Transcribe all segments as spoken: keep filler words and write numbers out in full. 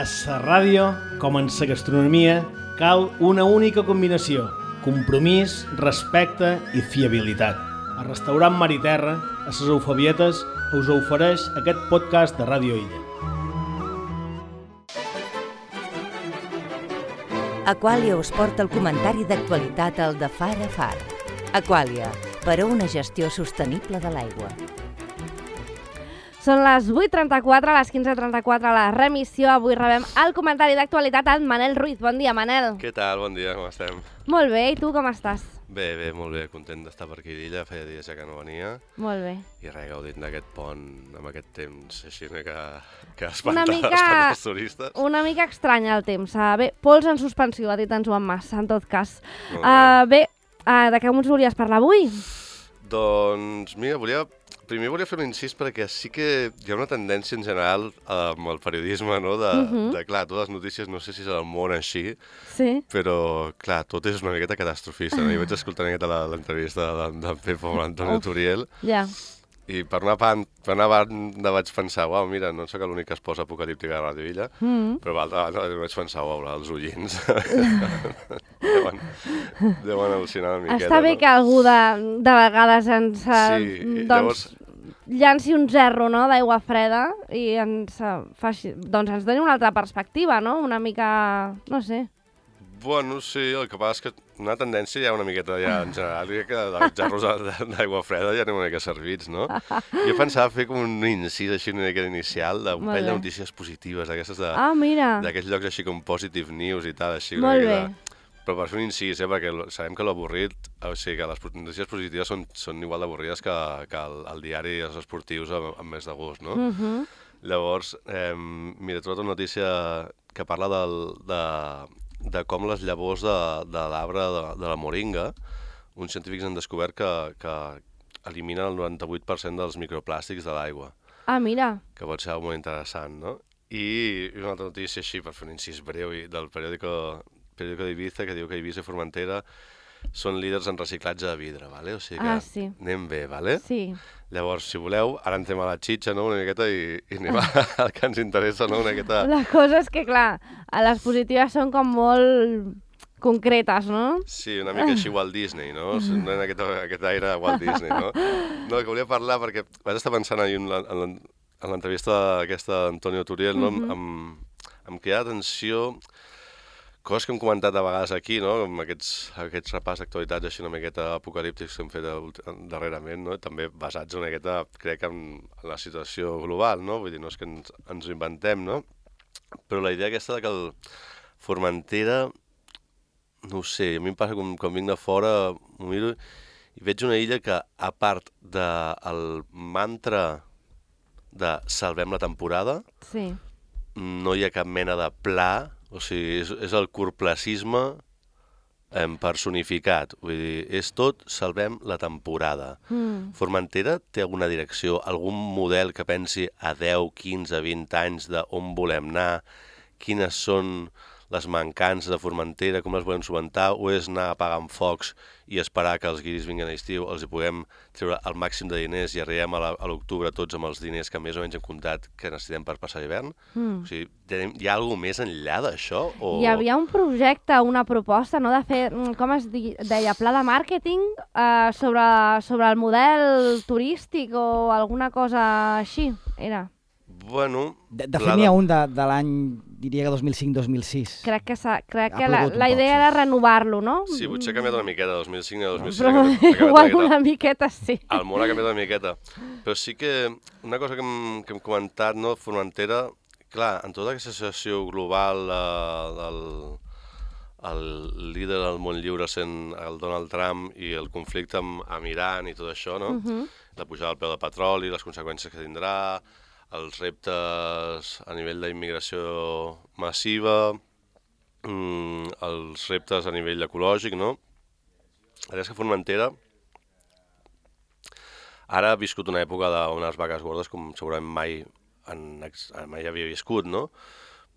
A la ràdio, com en la gastronomia, cal una única combinació: compromís, respecte i fiabilitat. El restaurant Mar i Terra, a les Eufabietes, us ofereix aquest podcast de Ràdio Illa. Aquàlia us porta el comentari d'actualitat al de Far a Far. Aquàlia, per a una gestió sostenible de l'aigua. Són les vuit trenta-quatre, a les quinze trenta-quatre a la remissió. Avui rebem el comentari d'actualitat al Manel Ruiz. Bon dia, Manel. Què tal? Bon dia, com estem? Molt bé, i tu com estàs? Bé, bé, molt bé, content d'estar per aquí d'Illa, feia dies ja que no venia. Molt bé. I res, gaudint d'aquest pont, amb aquest temps així que, que espanta, mica, espanta els turistes. Una mica estranya el temps. Uh, bé, pols en suspensió, ha dit en Joan Mas, en tot cas. Uh, bé, uh, de què ens volies parlar avui? Doncs, mira, volia... Primer volia fer un incís perquè sí que hi ha una tendència en general amb el periodisme, no? De, uh-huh. de clar, totes les notícies, no sé si és el món així, sí. Però, clar, tot és una miqueta catastrofista. No? Jo vaig escoltar una miqueta l'entrevista d'en de Pepo amb l'Antonio Turiel, ja. I per una part, una banda vaig pensar, uau, mira, no sóc l'únic que es posa apocalíptica a Ràdio Illa, mm. però l'altra banda vaig pensar, uau, els ullins deuen, deuen al·lucinar una miqueta. Està bé, no? Que algú de, de vegades ens, sí, doncs, llavors... llanci un gerro, no?, d'aigua freda i ens, faci, doncs ens doni una altra perspectiva, no?, una mica, no sé. Bueno, sí, el que passa és que una tendència hi ha una miqueta ja en general, que dels gerros d'aigua freda ja anem una mica servits, no? Jo pensava fer com un incís així una mica inicial d'un parell de notícies positives, d'aquestes de... Ah, mira! D'aquests llocs així com Positive News i tal, així. Molt bé. Però per fer un incís, eh, perquè sabem que l'avorrit, o sigui, que les notícies positives són, són igual d'avorrides que, que el, el diari i els esportius amb, amb més de gust, no? Uh-huh. Llavors, eh, mira, he trobat una notícia que parla del, de, de com les llavors de, de l'arbre de, de la moringa, uns científics han descobert que, que eliminen el noranta-vuit per cent dels microplàstics de l'aigua. Ah, mira. Que pot ser molt interessant, no? I una altra notícia així, per fer un incís breu, del periòdico... periòdico d'Ibiza, que diu que Eivissa i Formentera són líders en reciclatge de vidre, ¿vale? O sigui que ah, sí. anem bé, ¿vale? Sí. Llavors, si voleu, ara entrem a la xitxa, no?, una miqueta, i, i anem al que ens interessa, no?, una miqueta... La cosa és que, clar, les positives són com molt concretes, no? Sí, una mica així Walt Disney, no? No en aquest, aquest aire Walt Disney, no? No, que volia parlar perquè vaig estar pensant ahir en l'entrevista aquesta d'Antonio Turiel, no?, amb, amb, amb cridar atenció... Coses que hem comentat a vegades aquí, no?, amb aquests, aquests repàs d'actualitats així una miqueta apocalíptics que hem fet darrerament, no?, també basats una miqueta, crec, en, en la situació global, no?, vull dir, no és que ens, ens ho inventem, no?, però la idea aquesta de que el Formentera, no ho sé, a mi em passa com, quan vinc de fora, m'ho miro i veig una illa que, a part del mantra de salvem la temporada, sí. No hi ha cap mena de pla. O sigui, és, és el curtplacisme eh, personificat. Vull dir, és tot, salvem la temporada. Mm. Formentera té alguna direcció, algun model que pensi a deu, quinze, vint anys d'on volem anar, quines són les mancances de Formentera, com les volem solventar, o és anar apagant focs i esperar que els guiris vinguin a l'estiu, els hi puguem treure el màxim de diners i arribem a l'octubre tots amb els diners que més o menys hem comptat que necessitem per passar l'hivern? Mm. O sigui, hi ha alguna més enllà d'això? O... Hi havia un projecte, una proposta, no?, de fer, com es deia, pla de màrqueting eh, sobre, sobre el model turístic o alguna cosa així, era... Bueno... De, de fet, n'hi ha un de, de l'any, diria que dos mil cinc dos mil sis. Crec que, crec que la, la idea poc, era sí. renovar-lo, no? Sí, potser ha canviat una miqueta, dos mil cinc a dos mil sis. Però igual una, una miqueta, sí. El món ha canviat una miqueta. Però sí que una cosa que hem, que hem comentat, no, Formentera, clar, en tota aquesta situació global eh, del el líder del món lliure sent el Donald Trump i el conflicte amb, amb Iran i tot això, no? Uh-huh. La pujada del preu del petroli, les conseqüències que tindrà, els reptes a nivell d'immigració massiva, mm, els reptes a nivell ecològic, no? La veritat és que Formentera ara ha viscut una època d'unes vaques gordes com segurament mai, en, mai havia viscut, no?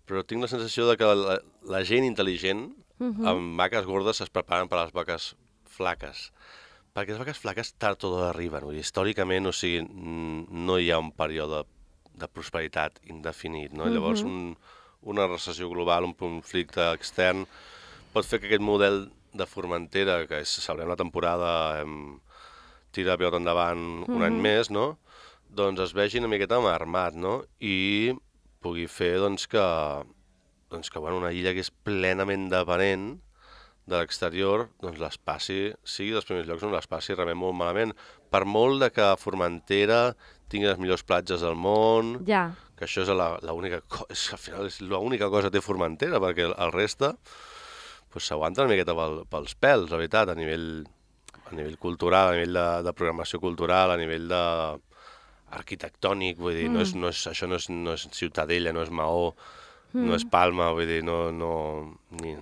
Però tinc la sensació de que la, la gent intel·ligent uh-huh. amb vaques gordes es preparen per a les vaques flaques. Perquè les vaques flaques tard o d'hora arriben. Històricament, o sigui, no hi ha un període de prosperitat indefinit, no? Uh-huh. Llavors, un, una recessió global, un conflicte extern, pot fer que aquest model de Formentera, que és, celebrem la temporada, hem tirat pilota endavant un mm-hmm. any més, no? Doncs es vegi una miqueta armat, no? I pugui fer doncs, que, doncs, que bueno, una illa que és plenament dependent de l'exterior, doncs les passi, sigui dels primers llocs on les passi realment molt malament. Per molt de que Formentera tingui les millors platges del món, ja. que això és l'única cosa, al final és l'única cosa que té Formentera, perquè el reste pues, s'aguanta una miqueta pel, pels pèls, la veritat, a nivell, a nivell cultural, a nivell de, de programació cultural, a nivell de arquitectònic, vull dir, mm. no és, no és, això no és, no és Ciutadella, no és Maó, mm. no és Palma, vull dir, no... no ni,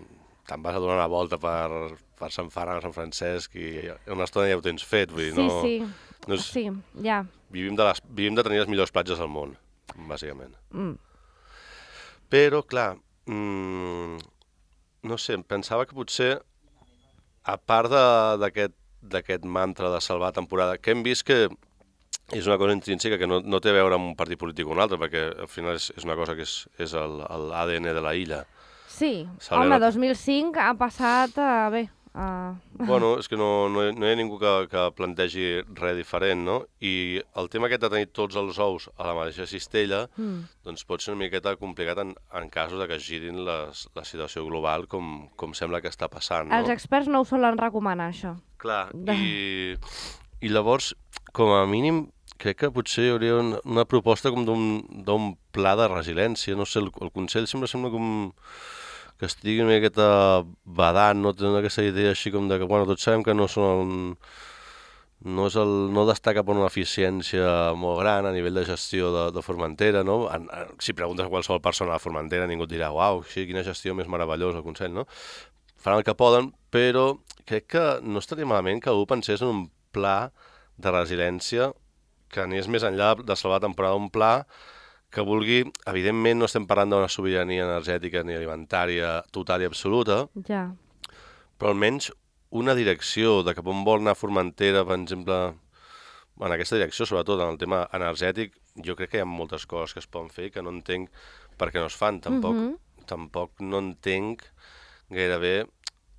te'n vas a donar una volta per, per Sant Ferran, Sant Francesc, i una estona ja ho tens fet, vull dir, sí, no... Sí, no és, sí, ja. Vivim de, les, vivim de tenir les millors platges del món, bàsicament. Mm. Però, clar, mmm, no sé, pensava que potser, a part d'aquest mantra de salvar temporada, que hem vist que és una cosa intrínseca que no, no té a veure amb un partit polític o un altre, perquè al final és, és una cosa que és, és l'A D N de la illa. Sí, Salve home, la... dos mil cinc ha passat, uh, bé... Uh... Bueno, és que no, no, hi, no hi ha ningú que, que plantegi res diferent, no? I el tema aquest de tenir tots els ous a la mateixa cistella, mm. doncs pot ser una miqueta complicat en, en casos de que es girin les, la situació global com, com sembla que està passant, no? Els experts no ho solen recomanar, això. Clar, i, i llavors, com a mínim, crec que potser hi hauria una, una proposta com d'un pla de resiliència, no sé, el, el Consell sempre sembla com... que estigui una miqueta badant, no tenen aquesta idea així com de que, bueno, tots sabem que no són el, no, és el, no destaca per una eficiència molt gran a nivell de gestió de, de Formentera, no? En, en, si preguntes a qualsevol persona de Formentera, ningú et dirà, uau, sí, quina gestió més meravellosa el Consell, no? Faran el que poden, però crec que no estaria malament que algú pensés en un pla de resiliència que anés més enllà de salvar la temporada, un pla que vulgui, evidentment no estem parlant d'una sobirania energètica ni alimentària total i absoluta, ja. Però almenys una direcció de cap on vol anar Formentera, per exemple, en aquesta direcció, sobretot en el tema energètic, jo crec que hi ha moltes coses que es poden fer que no entenc per què no es fan. Tampoc, mm-hmm. tampoc no entenc gairebé,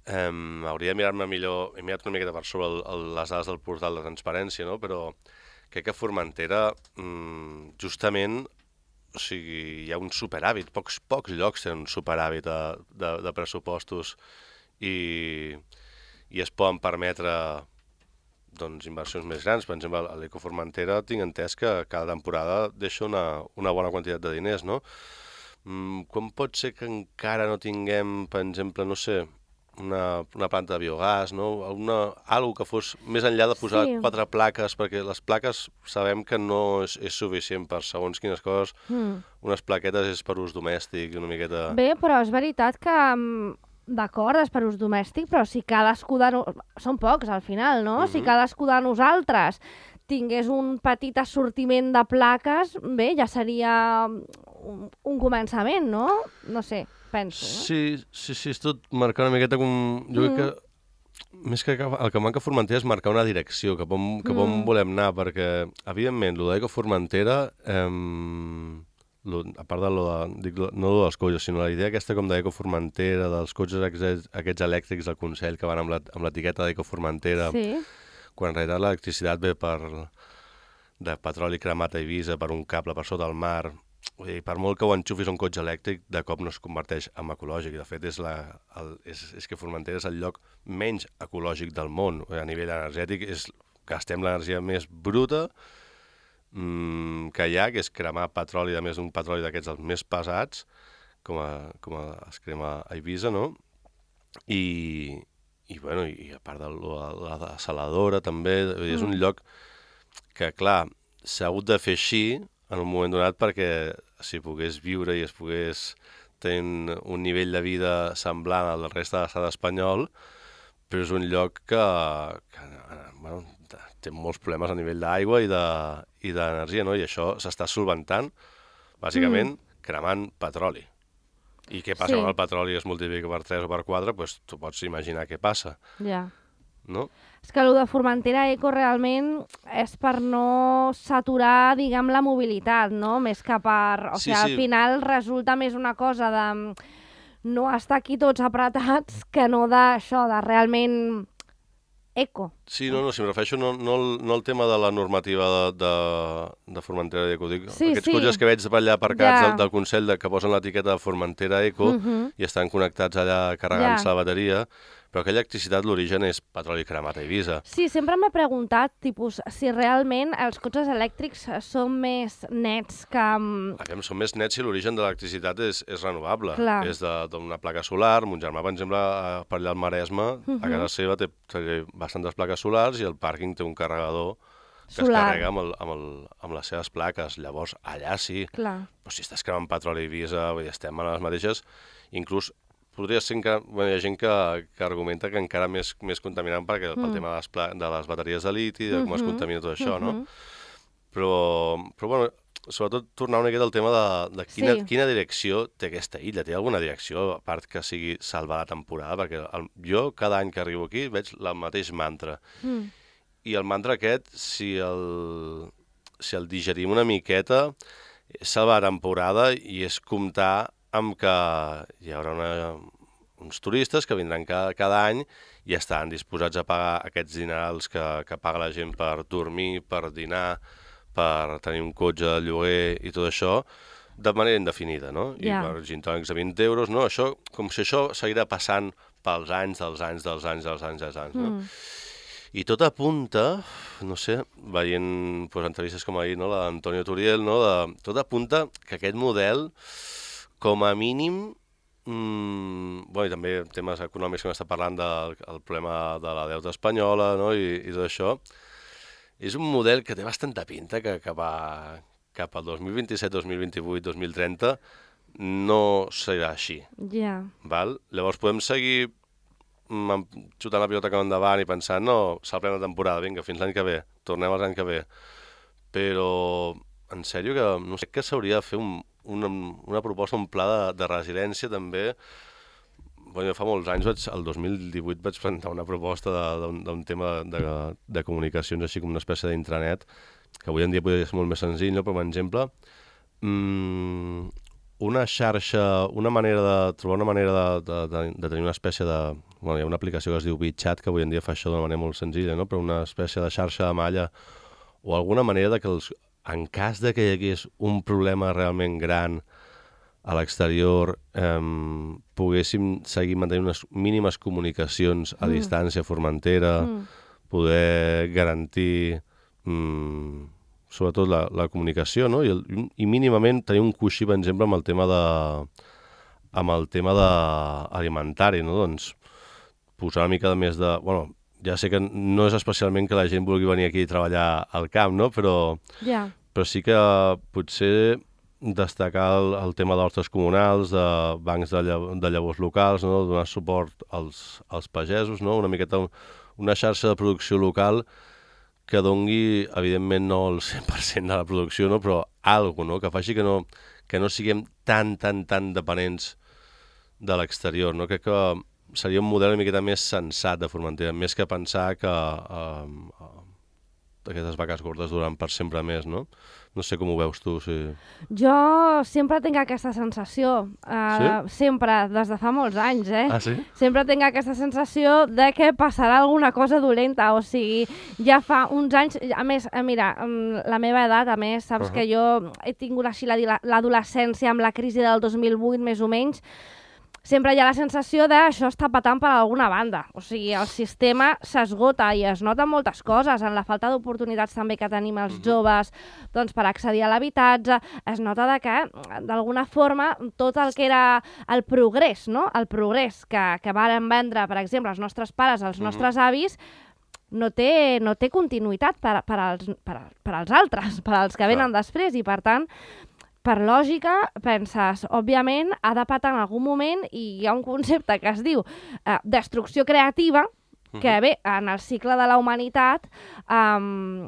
eh, hauria de mirar-me millor, he mirat una miqueta per sobre el, el, les dades del portal de transparència, no? Però crec que Formentera, mmm, justament, o sigui, hi ha un superàvit, pocs, pocs llocs tenen un superàvit de, de, de pressupostos i, i es poden permetre doncs, inversions més grans. Per exemple, a l'Eco Formentera tinc entès que cada temporada deixa una, una bona quantitat de diners, no? Mm, com pot ser que encara no tinguem, per exemple, no sé, una, una planta de biogàs, no? Una, algo que fos més enllà de posar sí. quatre plaques, perquè les plaques sabem que no és, és suficient per segons quines coses. Mm. Unes plaquetes és per ús domèstic, una miqueta... Bé, però és veritat que, d'acord, és per ús domèstic, però si cadascú de... No... Són pocs, al final, no? Mm-hmm. Si cadascú de nosaltres tingués un petit assortiment de plaques, bé, ja seria un, un començament, no? No sé... penso, no? Sí, sí, sí, és tot marcar una miqueta com... Jo crec que, mm. més que el que manca a Formentera és marcar una direcció, cap on, cap on mm. volem anar, perquè, evidentment, lo d'Eco Formentera, eh, lo, a part de lo de, dic, no lo dels cotxes, sinó la idea aquesta com d'Eco Formentera, dels cotxes aquests, aquests elèctrics del Consell que van amb l'etiqueta d'Eco Formentera, sí. Quan en realitat l'electricitat ve per de petroli cremat a Eivissa, per un cable per sota el mar. Vull dir, per molt que ho enxufis a un cotxe elèctric, de cop no es converteix en ecològic. I de fet, és, la, el, és, és que Formentera és el lloc menys ecològic del món. A nivell energètic, és, gastem l'energia més bruta mmm, que hi ha, que és cremar petroli, a més d'un petroli d'aquests els més pesats, com, a, com a, es crema a Eivissa, no? I, i, bueno, i a part de la, la desaladora, també, mm. és un lloc que, clar, s'ha hagut de fer així, en un moment donat, perquè si pogués viure i es pogués tenir un nivell de vida semblant al reste de l'estat espanyol, però és un lloc que, que bueno, té molts problemes a nivell d'aigua i d'energia, de, no? I això s'està solventant, bàsicament, mm. cremant petroli. I què passa sí. quan el petroli es multiplica per tres o per quatre? Doncs tu pots imaginar què passa. Ja. no? És que el de Formentera Eco realment és per no saturar, diguem, la mobilitat, no? Més que per... O Sí, sigui, sí. al final resulta més una cosa de no estar aquí tots apretats que no d'això, de realment eco. Sí, no, no, si em refereixo no, no, el, no el tema de la normativa de, de, de Formentera Eco, dic, Sí, aquests sí. cotxes que veig per allà aparcats Ja. del, del Consell de, que posen l'etiqueta de Formentera Eco Mhm. i estan connectats allà carregant-se Ja. la bateria, però aquella electricitat l'origen és petroli cremat a Eivissa. Sí, sempre m'he preguntat, tipus, si realment els cotxes elèctrics són més nets que... mm, Aviam, són més nets si l'origen de l'electricitat és, és renovable. Clar. És de- d'una placa solar. Mon germà, per exemple, a- per allà al Maresme, Mhm. a casa seva té, té bastantes plaques solars i el pàrquing té un carregador que Solar. es carrega amb, el, amb, el, amb les seves plaques. Llavors, allà sí. Clar. Però si estàs cremant petroli a Eivissa, vull dir, estem a les mateixes, inclús podria ser encara... Bueno, hi ha gent que, que argumenta que encara més, més contaminant perquè, pel Mm. tema de les, pla, de les bateries de liti, de com es Mhm. contamina tot això, no? Mhm. Però, però bueno, sobretot tornar una miqueta al tema de, de quina, Sí. quina direcció té aquesta illa. Té alguna direcció, a part que sigui salvar la temporada? Perquè el, jo cada any que arribo aquí veig el mateix mantra. Mm. I el mantra aquest, si el, si el digerim una miqueta, és salvar la temporada i és comptar amb que hi haurà una, uns turistes que vindran cada, cada any i estan disposats a pagar aquests dinerals que, que paga la gent per dormir, per dinar, per tenir un cotxe de lloguer i tot això, de manera indefinida, no? I Ja. per gin tònics de vint euros, no? Això, com si això seguirà passant pels anys, dels anys, dels anys, dels anys, dels anys, no? Mm. I tot apunta, no sé, veient pues, entrevistes com ahir, no? La d'Antonio Turiel, no? De, tot apunta que aquest model, com a mínim, mmm, bueno, i també temes econòmics que m'està parlant del el problema de la deuta espanyola, no? I, i tot això, és un model que té bastanta pinta que cap, a, cap al dos mil vint-i-set, dos mil vint-i-vuit, dos mil trenta no serà així. Ja. Val? Llavors podem seguir mm, xutant la pilota cap endavant i pensant, no, s'ha plena temporada, vinga, fins l'any que ve, tornem als anys que ve. Però, en sèrio, que no sé que s'hauria de fer un, una, una proposta, un pla de, de resiliència també. Bueno, fa molts anys, vaig, el dos mil divuit vaig presentar una proposta d'un tema de, de, de comunicacions, així com una espècie d'intranet, que avui en dia podria ser molt més senzill, no? Però, per exemple, mmm, una xarxa, una manera de trobar una manera de, de, de, de tenir una espècie de... Bueno, hi ha una aplicació que es diu WeChat, que avui en dia fa això d'una manera molt senzilla, no? Però una espècie de xarxa de malla o alguna manera de que, els, en cas de que hi hagués un problema realment gran a l'exterior, eh, poguéssim seguir mantenint unes mínimes comunicacions a Mm. distància a Formentera, Mm. poder garantir mm, sobretot la, la comunicació, no? I, el, i mínimament tenir un coixí, per exemple, amb el tema de amb el tema de alimentari, no? Doncs posar una mica de més de... Bueno, ja sé que no és especialment que la gent vulgui venir aquí a treballar al camp, no? Però, Ja. però sí que potser destacar el, el tema d'hortes comunals, de bancs de, llav de llavors locals, no? Donar suport als, als pagesos, no? Una miqueta una xarxa de producció local que dongui, evidentment, no el cent per cent de la producció, no? Però alguna cosa, no? Que faci que no, que no siguem tan, tan, tan dependents de l'exterior, no? Crec que seria un model una miqueta més sensat de Formentera, més que pensar que eh, eh, aquestes vaques gordes duran per sempre més, no? No sé com ho veus tu, si... Jo sempre tinc aquesta sensació, uh, Sí? sempre, des de fa molts anys, eh? Ah, sí? Sempre tinc aquesta sensació de que passarà alguna cosa dolenta, o sigui, ja fa uns anys, a més, eh, mira, mm, la meva edat, a més, saps Uh-huh. que jo he tingut així la- l'adolescència amb la crisi del dos mil vuit, més o menys, sempre hi ha la sensació de això està patant per alguna banda. O sigui, el sistema s'esgota i es noten moltes coses, en la falta d'oportunitats també que tenim els joves doncs, per accedir a l'habitatge. Es nota de que, d'alguna forma, tot el que era el progrés, no? El progrés que, que varen vendre, per exemple, els nostres pares, els nostres avis, no té, no té continuïtat per, per, als, per, per als altres, per als que venen després, i per tant, per lògica, penses, òbviament, ha de patar en algun moment, i hi ha un concepte que es diu eh, destrucció creativa, que bé, en el cicle de la humanitat, um,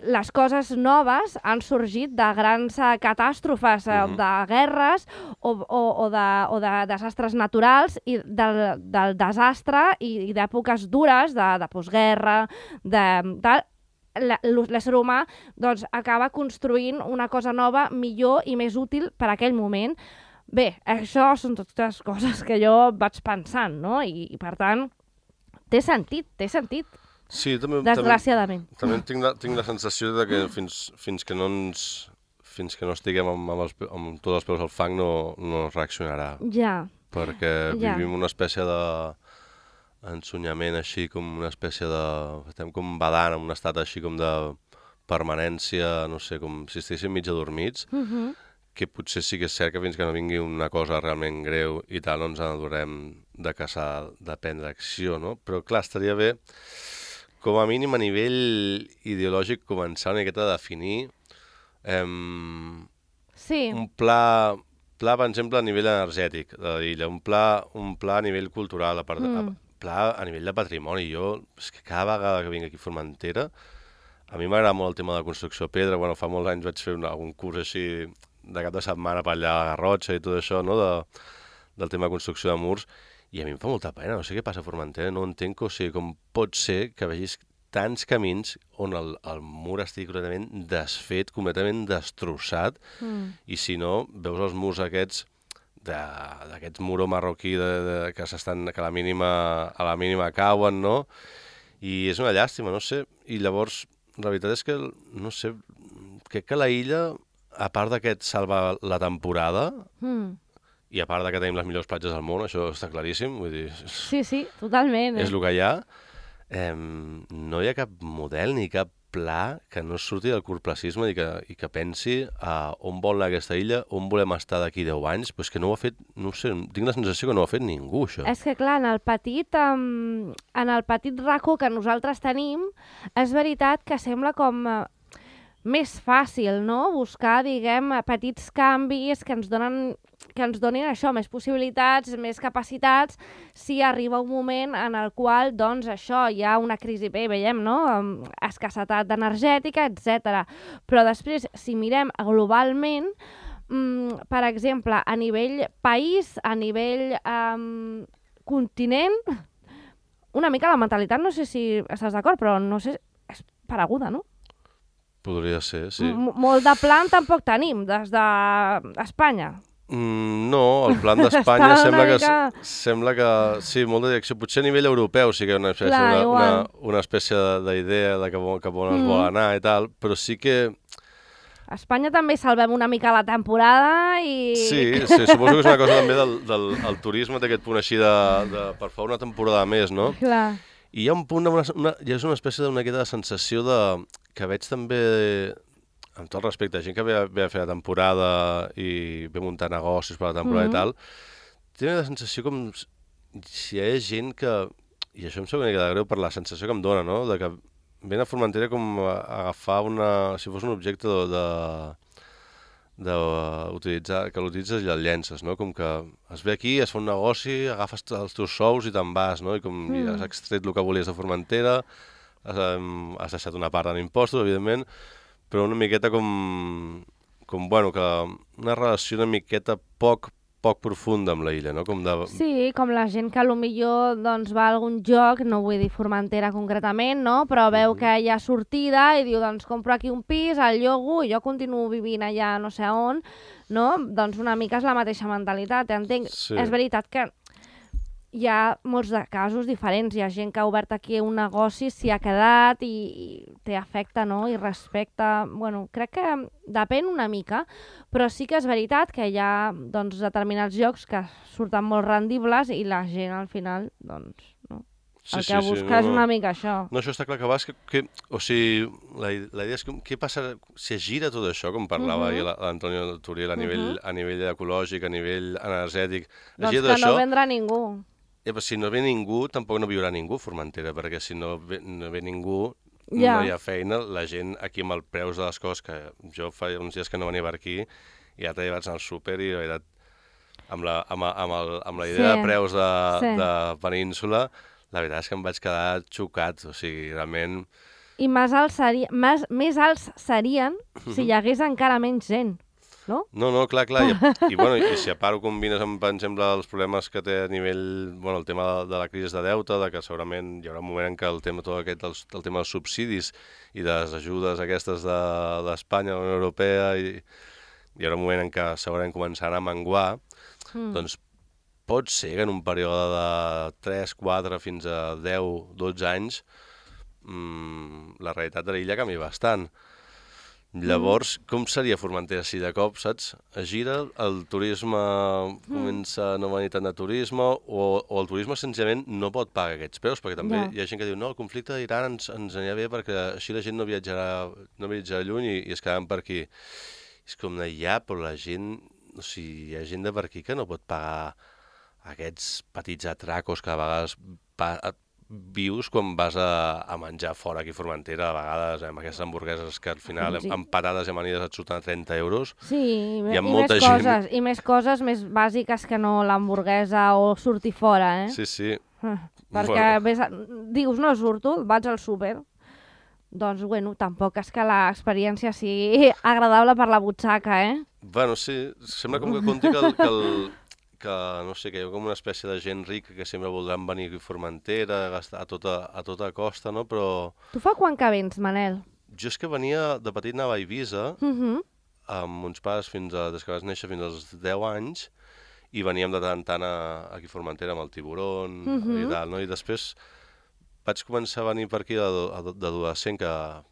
les coses noves han sorgit de grans uh, catàstrofes, uh, Mhm. de guerres o, o, o, de, o de desastres naturals i del, del desastre i, i d'èpoques dures, de, de postguerra, de tal. La- L'ésser humà doncs, acaba construint una cosa nova, millor i més útil per a aquell moment. Bé, això són totes coses que jo vaig pensant, no? I, i per tant, té sentit, té sentit, Sí, també, desgraciadament. també, també tinc, la, tinc la sensació de que fins, fins que no ens fins que no estiguem amb, amb, els, pe- amb tots els peus al fang no, no reaccionarà, Ja, perquè Ja. vivim una espècie de ensunyament així, com una espècie de... estem com badant en un estat així com de permanència, no sé, com si estiguéssim mig adormits, uh -huh. que potser sí que és cert que fins que no vingui una cosa realment greu i tal, no ens adorem de caçar, de prendre acció, no? Però clar, estaria bé, com a mínim a nivell ideològic, començar una miqueta a definir eh, sí, un pla, pla, per exemple, a nivell energètic de l'illa, un pla, un pla a nivell cultural, a part, Mm. a, pla a nivell de patrimoni. Jo, és que cada vegada que vinc aquí a Formentera, a mi m'agrada molt el tema de la construcció de pedra. Bueno, fa molts anys vaig fer un, algun curs així de cap de setmana per allà a la Garrotxa i tot això, no?, de, del tema de construcció de murs, i a mi em fa molta pena, no sé què passa a Formentera, no entenc, o sigui, com pot ser que vegis tants camins on el, el mur estigui completament desfet, completament destrossat, mm. i si no, veus els murs aquests de- d'aquest muró marroquí de, de, que s'estan que a la mínima a la mínima cauen, no? I és una llàstima, no sé. I llavors, la veritat és que, no sé, crec que la illa, a part d'aquest salvar la temporada, Mm. i a part de que tenim les millors platges del món, això està claríssim, vull dir, és, Sí, sí, totalment. Eh? és el que hi ha, eh, no hi ha cap model ni cap pla que no surti del curtplacisme i que, i que pensi a on vol anar aquesta illa, on volem estar d'aquí deu anys, però és que no ho ha fet, no ho sé, tinc la sensació que no ho ha fet ningú, això. És que, clar, en el petit, um, en el petit racó que nosaltres tenim, és veritat que sembla com uh, més fàcil, no?, buscar, diguem, eh, petits canvis que ens donen que ens donin això, més possibilitats, més capacitats, si arriba un moment en el qual, doncs, això, hi ha una crisi, bé, veiem, no?, um, escassetat energètica, etcètera. Però després, si mirem globalment, um, per exemple, a nivell país, a nivell um, continent, una mica la mentalitat, no sé si estàs d'acord, però no sé, és pareguda, no? Podria ser, sí. M Molt de plan tampoc tenim, des d'Espanya. Mm, no, el plan d'Espanya Està sembla, una que, mica- sembla que... Sí, molta direcció. Potser a nivell europeu sí que hi ha una espècie, Clar, una, una, igual. una espècie d'idea de cap on, cap on es Mm. vol anar i tal, però sí que... A Espanya també salvem una mica la temporada i... Sí, sí, suposo que és una cosa també del, del el turisme, té aquest punt així de, de per fa una temporada més, no? Clar. I hi ha un punt, una, una, hi ha una espècie d'una miqueta de sensació de, que veig també, amb tot el respecte, gent que ve, a- ve a fer la temporada i ve a muntar negocis per la temporada Mhm. i tal, té una sensació com s- si hi ha gent que, i això em sembla una mica de greu per la sensació que em dona, no?, de que ven a Formentera com a agafar una... si fos un objecte de... de d'utilitzar, que l'utilitzes i el llences, no? Com que es ve aquí, es fa un negoci, agafes t- els teus sous i te'n vas, no? I com Mm. ja has extret el que volies de Formentera, has, em, has deixat una part en impostos, evidentment, però una miqueta com, com bueno, que una relació una miqueta poc, poc profunda amb la illa, no? Com de... Sí, com la gent que potser doncs, va a algun lloc, no vull dir Formentera concretament, no? Però veu Mhm. que hi ha sortida i diu, doncs compro aquí un pis, el llogo i jo continuo vivint allà no sé on, no? Doncs una mica és la mateixa mentalitat, entenc. Sí. És veritat que hi ha molts de casos diferents. Hi ha gent que ha obert aquí un negoci, s'hi ha quedat i, i té afecte, no?, i respecte. Bueno, crec que depèn una mica, però sí que és veritat que hi ha doncs, determinats llocs que surten molt rendibles i la gent al final, doncs, no? Sí, El sí, que sí, busca no, és no. una mica això. No, això està clar que vas, que, que o sigui, la, la idea és que, què passa si es gira tot això, com parlava Mhm. ahir la- l'Antonio Turiel, a nivell, a nivell ecològic, a nivell energètic, es Doncs gira que tot no això, vendrà ningú. eh, però si no ve ningú, tampoc no viurà ningú a Formentera, perquè si no ve, no ve ningú, Ja. no hi ha feina, la gent aquí amb els preus de les coses, que jo fa uns dies que no venia per aquí, i l'altre dia vaig anar al súper i la veritat, amb la, amb, amb, el, amb la idea Sí, de preus de, sí. de península, la veritat és que em vaig quedar xocat, o sigui, realment I més alts, seria, més, més alts serien si hi hagués encara menys gent, no? No, no, clar, clar. I, i, bueno, i si a part ho combines amb, per exemple, els problemes que té a nivell, bueno, el tema de, de la crisi de deute, de que segurament hi haurà un moment en què el tema, tot aquest, el, el tema dels subsidis i de les ajudes aquestes d'Espanya, de, de la Unió Europea, i hi haurà un moment en què segurament començaran a menguar, mm. doncs pot ser que en un període de tres, quatre fins a deu, dotze anys mmm, la realitat de l'illa canvia bastant. Llavors, mm. com seria Formentera si de cop, saps? Es gira, el turisme comença a no venir tant de turisme o, o el turisme senzillament no pot pagar aquests preus, perquè també yeah. hi ha gent que diu no, el conflicte d'Iran ens, ens anirà bé perquè així la gent no viatjarà, no viatjarà lluny i, i es quedaran per aquí. És com de ja, però la gent, o sigui, hi ha gent de per aquí que no pot pagar aquests petits atracos que a vegades pa, vius quan vas a, a menjar fora aquí a Formentera, a vegades amb aquestes hamburgueses que al final sí. amb patades i amanides et surten a trenta euros. Sí, i, i, i, més gent... coses, i més coses més bàsiques que no l'hamburguesa o sortir fora, eh? Sí, sí. Perquè bueno. ves a... dius, no surto, vaig al súper. Doncs, bueno, tampoc és que l'experiència sigui agradable per la butxaca, eh? Bueno, sí, sembla com que conti que el... Que el... que, no sé, que hi ha com una espècie de gent rica que sempre voldran venir a Formentera, a gastar a tota, a tota costa, no? Però... Tu fa quan que vens, Manel? Jo és que venia, de petit anava a Eivissa, uh -huh. amb uns pares fins a, des que vas néixer fins als deu anys, i veníem de tant en tant a, aquí a Formentera amb el tiburon uh -huh. i tal, no? I després vaig començar a venir per aquí d'adolescent, que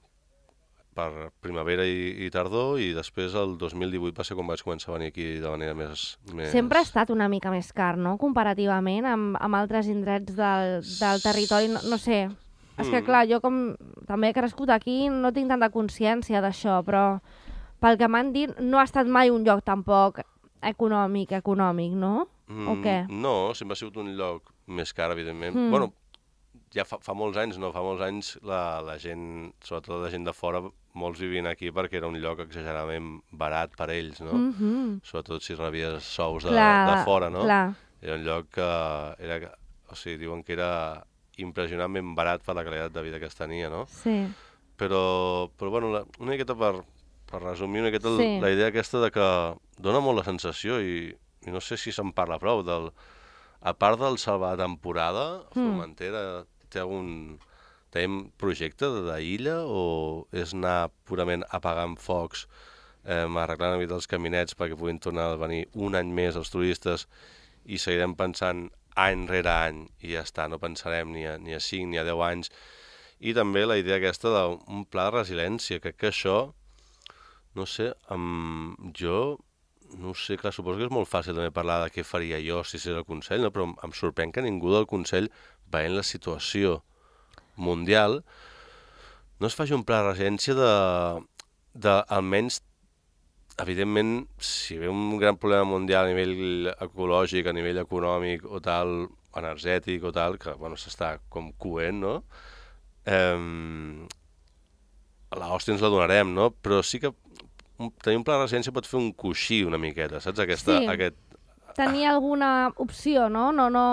per primavera i, i tardor, i després el dos mil divuit va ser quan vaig començar a venir aquí de manera més... més... Sempre ha estat una mica més car, no?, comparativament amb, amb altres indrets del, del territori, no, no sé. Mm. És que, clar, jo com també he crescut aquí no tinc tanta consciència d'això, però pel que m'han dit no ha estat mai un lloc tampoc econòmic, econòmic, no? Mm, o què? No, sempre ha sigut un lloc més car, evidentment. Mm. Bueno, ja fa, fa molts anys, no? Fa molts anys la, la gent, sobretot la gent de fora, molts vivien aquí perquè era un lloc exageradament barat per ells, no? Mm-hmm. Sobretot si rebies sous de, clar, de fora, no? Clar. Era un lloc que era, o sigui, diuen que era impressionantment barat per la qualitat de vida que es tenia, no? Sí. Però, però bueno, la, una miqueta per, per resumir una miqueta sí. la idea aquesta de que dona molt la sensació, i, i no sé si se'n parla prou, del, a part del salvar temporada, Formentera mm. té algun... Tenim projecte d'illa o és anar purament apagant focs, eh, arreglant una mica els caminets perquè puguin tornar a venir un any més els turistes i seguirem pensant any rere any i ja està, no pensarem ni a, ni a cinc ni a deu anys. I també la idea aquesta d'un pla de resiliència, crec que això, no sé, amb jo, no sé, clar, suposo que és molt fàcil també parlar de què faria jo si fos el Consell, no? Però em sorprèn que ningú del Consell, veient la situació mundial, no es faci un pla de resiliència de, de almenys, evidentment, si ve un gran problema mundial a nivell ecològic, a nivell econòmic o tal, energètic o tal, que bueno, s'està com coent, no? Eh, l'hòstia ens la donarem, no? Però sí que un, tenir un pla de resiliència pot fer un coixí una miqueta, saps? Aquesta, sí. aquest... Tenir alguna opció, no? No, no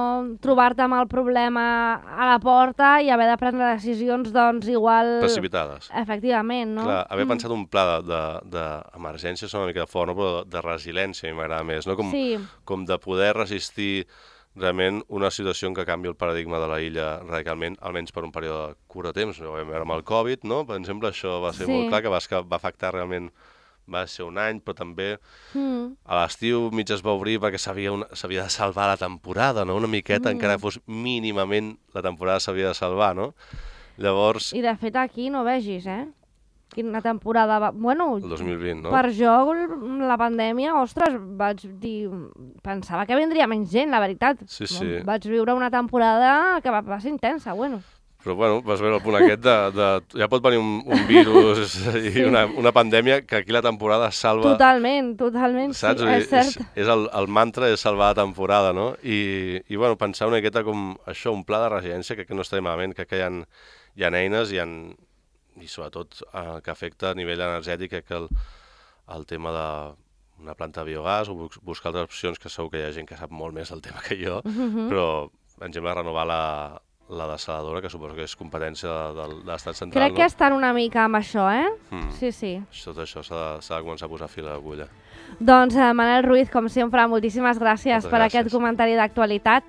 trobar-te amb el problema a la porta i haver de prendre decisions, doncs, igual... precipitades. Efectivament, no? Clar, haver mm. pensat un pla d'emergència és una mica de fort, no? Però de resiliència m'agrada més, no? Com, sí. com de poder resistir realment una situació en què canvi el paradigma de la illa radicalment, almenys per un període curt de temps. Ho vam veure amb el Covid, no? Per exemple, això va ser sí. molt clar, que va, que va afectar realment... va ser un any, però també mm. a l'estiu mig es va obrir perquè s'havia de salvar la temporada, no? Una miqueta, mm. encara que fos mínimament la temporada s'havia de salvar, no? Llavors... I de fet aquí no vegis, eh? Quina temporada va... Bueno, el dos mil vint, no? Per jo, la pandèmia, ostres, vaig dir... Pensava que vindria menys gent, la veritat. Sí, sí. Vaig viure una temporada que va, va ser intensa, bueno. Però, bueno, vas veure el punt aquest de... de ja pot venir un, un virus i sí. una, una pandèmia que aquí la temporada salva... Totalment, totalment, saps? Sí, és cert. És, és el, el mantra és salvar la temporada, no? I, i bueno, pensar una miqueta com això, un pla de resiliència, crec que no està malament, crec que hi ha, hi ha eines i, ha, i sobretot eh, que afecta a nivell energètic, crec que el, el tema de una planta de biogàs o buscar altres opcions, que segur que hi ha gent que sap molt més del tema que jo, mm-hmm. però, per exemple, renovar la... la desaladora, que suposo que és competència de, de l'estat central, Crec no? que estan una mica amb això, eh? Mm. Sí, sí. Tot això s'ha de, s'ha de començar a posar fil a l'agulla. Doncs, eh, Manel Ruiz, com sempre, moltíssimes gràcies Moltes per gràcies. aquest comentari d'actualitat.